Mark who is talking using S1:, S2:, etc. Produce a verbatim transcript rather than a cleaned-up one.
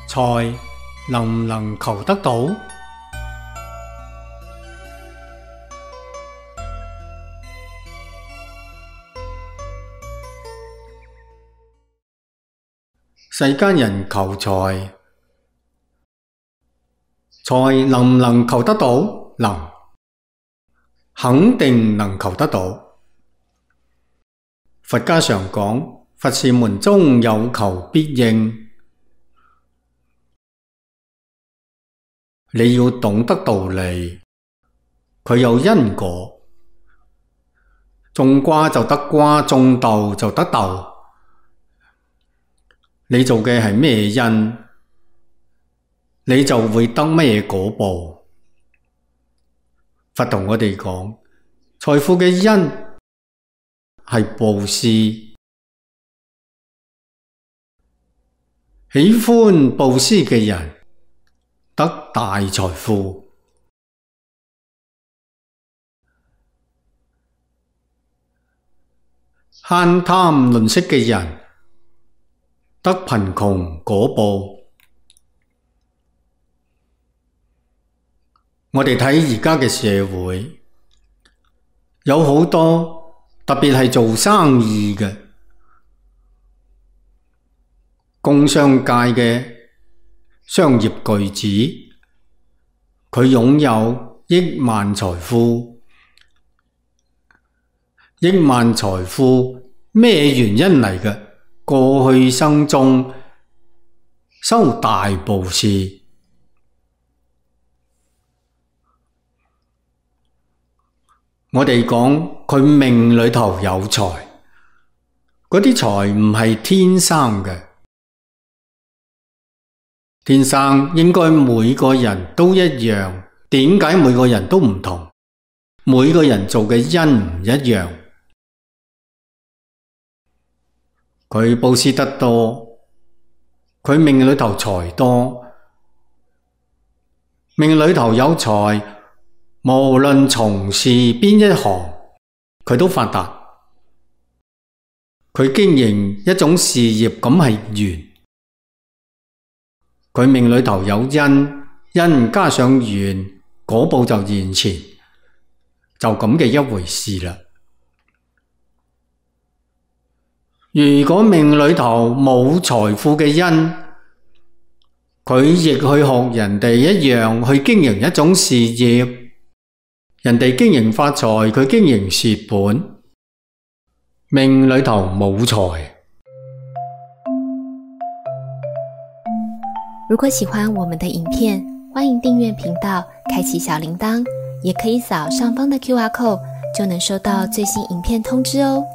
S1: 財能唔能求得到？世間人求財，財能唔能求得到？能，肯定能求得到。佛家常講，佛事門中有求必應。你要懂得道理，佢有因果，種瓜就得瓜，種豆就得豆。你做嘅係咩因，你就會得咩果報。佛同我哋講，財富嘅因係布施，喜歡布施嘅人得大財富，慳貪吝嗇嘅人得貧窮果報。我哋睇而家嘅社會，有好多特別係做生意嘅工商界嘅商業巨子，佢擁有億萬財富。億萬財富咩原因嚟嘅？過去生中修大布施。我哋講佢命裏頭有財，嗰啲財唔係天生嘅，天生應該每個人都一樣。點解每個人都唔同？每個人做嘅因唔一樣。佢布施得多，佢命裏頭財多，命裏頭有財，無論從事邊一行，佢都發達。佢經營一種事業，咁係緣。佢命裏頭有因，因加上緣，果報就現前，就咁嘅一回事啦。如果命裏頭冇財富嘅因，佢亦去學人哋一樣去經營一種事業，人哋經營發財，佢經營蝕本，命裏頭冇財。
S2: 如果喜歡我們的影片，歡迎訂閱頻道，開啟小鈴鐺，也可以掃上方的 Q R code，就能收到最新影片通知哦。